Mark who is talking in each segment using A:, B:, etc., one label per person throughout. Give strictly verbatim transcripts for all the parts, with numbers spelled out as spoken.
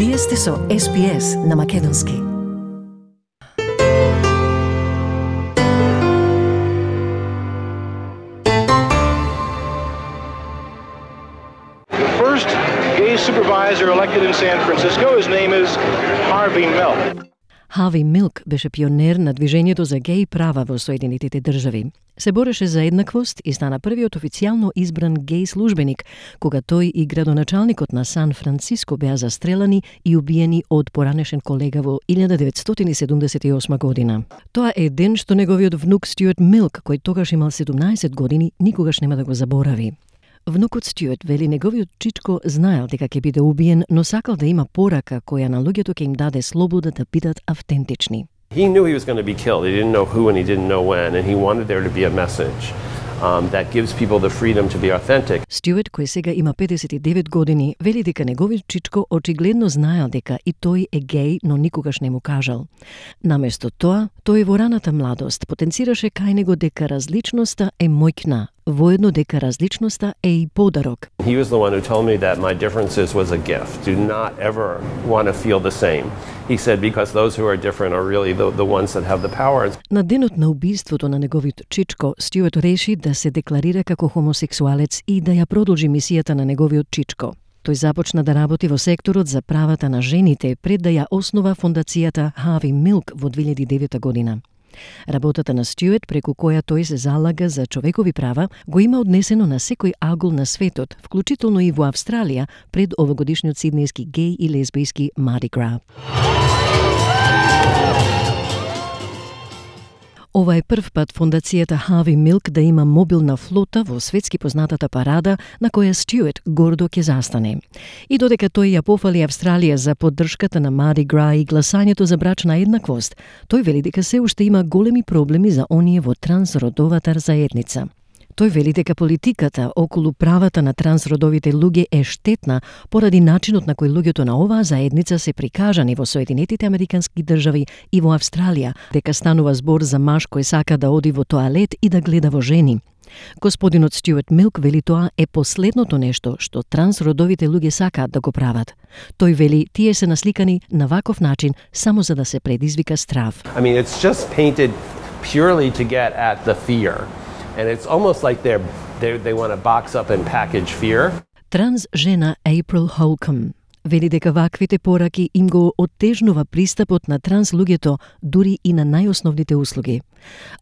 A: Вие сте со Ес Би Ес на Македонски.
B: The first gay supervisor elected in San Francisco, his name is Harvey Milk.
C: Хави Милк беше пионер на движењето за геј права во Соединетите држави. Се бореше за еднаквост и стана првиот официјално избран геј службеник, кога тој и градоначалникот на Сан Франциско беа застрелани и убиени од поранешен колега во илјада деветстотини седумдесет и осма година. Тоа е ден што неговиот внук Стюарт Милк, кој тогаш имал седумнаесет години, никогаш нема да го заборави. Внукот Стюарт вели неговиот чичко знаел дека ќе биде убиен, но сакал да има порака која на луѓето ќе им даде слобода да бидат автентични.
D: He knew he was going to be killed. He didn't know who and he didn't know when, and he wanted there to be a message um, that gives people the freedom to be authentic.
C: Стюарт, кој сега има педесет и девет години, вели дека неговиот чичко очигледно знаел дека и тој е геј, но никогаш не му кажал. Наместо тоа, тој во раната младост потенцираше кај него дека различноста е моќна, воедно дека различноста е и подарок.
D: He was the one who told me that my differences was a gift. Do not ever want to feel the same. He said because those who are different are really the, the ones that have the power.
C: На денот на убиството на неговиот чичко, Стюарт реши да се декларира како хомосексуалец и да ја продолжи мисијата на неговиот чичко. Тој започна да работи во секторот за правата на жените пред да ја основа фондацијата Хави Милк во две илјади и девета година. Работата на Стюарт, преку која тој се залага за човекови права, го има однесено на секој агол на светот, вклучително и во Австралија, пред овогодишниот сиднејски геј и лесбијски Mardi Gras. Ова е прв пат фондацијата Хави Милк да има мобилна флота во светски познатата парада на која Стюарт гордо ќе застане. И додека тој ја пофали Австралија за поддршката на Mardi Gras и гласањето за брачна еднаквост, тој вели дека се уште има големи проблеми за оние во трансродовата заедница. Тој вели дека политиката околу правата на трансродовите луѓе е штетна поради начинот на кој луѓето на оваа заедница се прикажани во Соединетите Американски држави и во Австралија, дека станува збор за маж кој сака да оди во тоалет и да гледа во жени. Господинот Стюарт Милк вели тоа е последното нешто што трансродовите луѓе сакаат да го прават. Тој вели тие се насликани на ваков начин само за да се предизвика страв.
D: I mean, it's just painted purely to get at the fear. And it's almost like they're, they they want to box up and package fear.
C: Транс жена April Holcomb вели дека ваквите пораки им го оттежнува пристапот на транс луѓето дури и на најосновните услуги.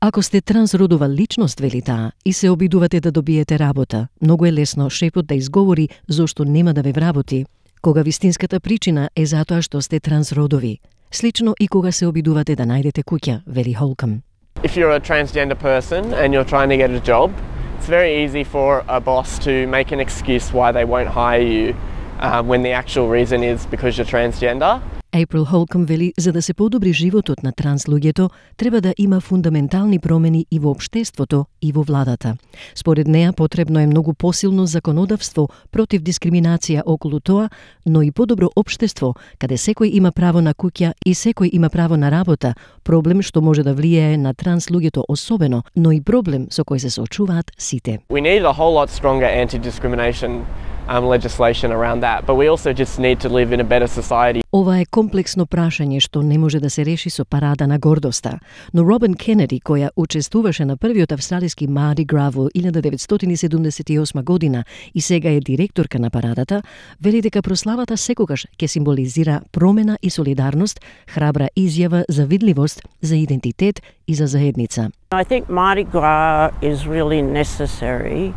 C: Ако сте трансродова личност, вели таа, и се обидувате да добиете работа, многу е лесно шефот да изговори зошто нема да ве вработи, кога вистинската причина е затоа што сте трансродови. Слично и кога се обидувате да најдете куќа, вели Holcomb.
E: If you're a transgender person and you're trying to get a job, it's very easy for a boss to make an excuse why they won't hire you um, when the actual reason is because you're transgender.
C: April Holcomb вели, за да се подобри животот на транс луѓето, треба да има фундаментални промени и во општеството и во владата. Според неа потребно е многу посилно законодавство против дискриминација околу тоа, но и подобро општество, каде секој има право на куќа и секој има право на работа, проблем што може да влијае на транс луѓето особено, но и проблем со кој се соочуваат сите.
E: We need a whole lot stronger anti-discrimination um, legislation around that, but we also just need to live in a better society.
C: Ова е комплексно прашање што не може да се реши со парада на гордоста, но Робин Кенеди, која учествуваше на првиот австралиски Mardi Gras во илјада деветстотини седумдесет и осма година и сега е директорка на парадата, вели дека прославата секогаш ќе символизира промена и солидарност, храбра изјава за видливост, за идентитет и за заедница.
F: I think Mardi Gras is really necessary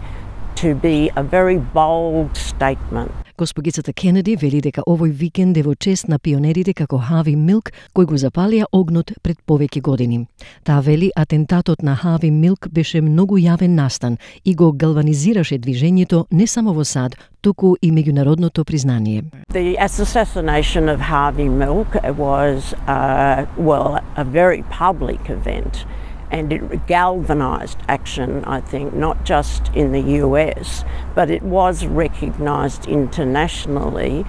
F: to be a very bold statement.
C: Госпогицата Кенеди вели дека овој викенд е во чест на пионерите како Хави Милк, кој го запалија огнот пред повеќе години. Таа вели атентатот на Хави Милк беше многу јавен настан и го галванизираше движењето не само во САД, туку и меѓународното признание.
F: The assassination of Harvey Milk was uh, well a very public event. And it galvanized action, I think, not just in the U S, but it was recognized internationally.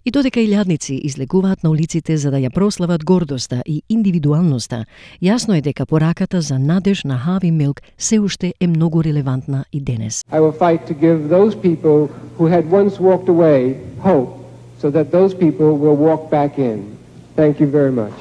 C: И додека илјадници излегуваат на улиците за да ја прослават гордоста и индивидуалноста, јасно е дека пораката за надеж на Хави Милк се уште е многу релевантна и денес.
G: I will fight to give those people who had once walked away hope so that those people will walk back in. Thank you very much.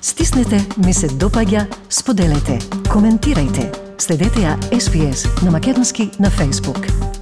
A: Стиснете, ми се допаѓа, споделете, коментирајте. Следете ја Ес Би Ес на македонски на Facebook.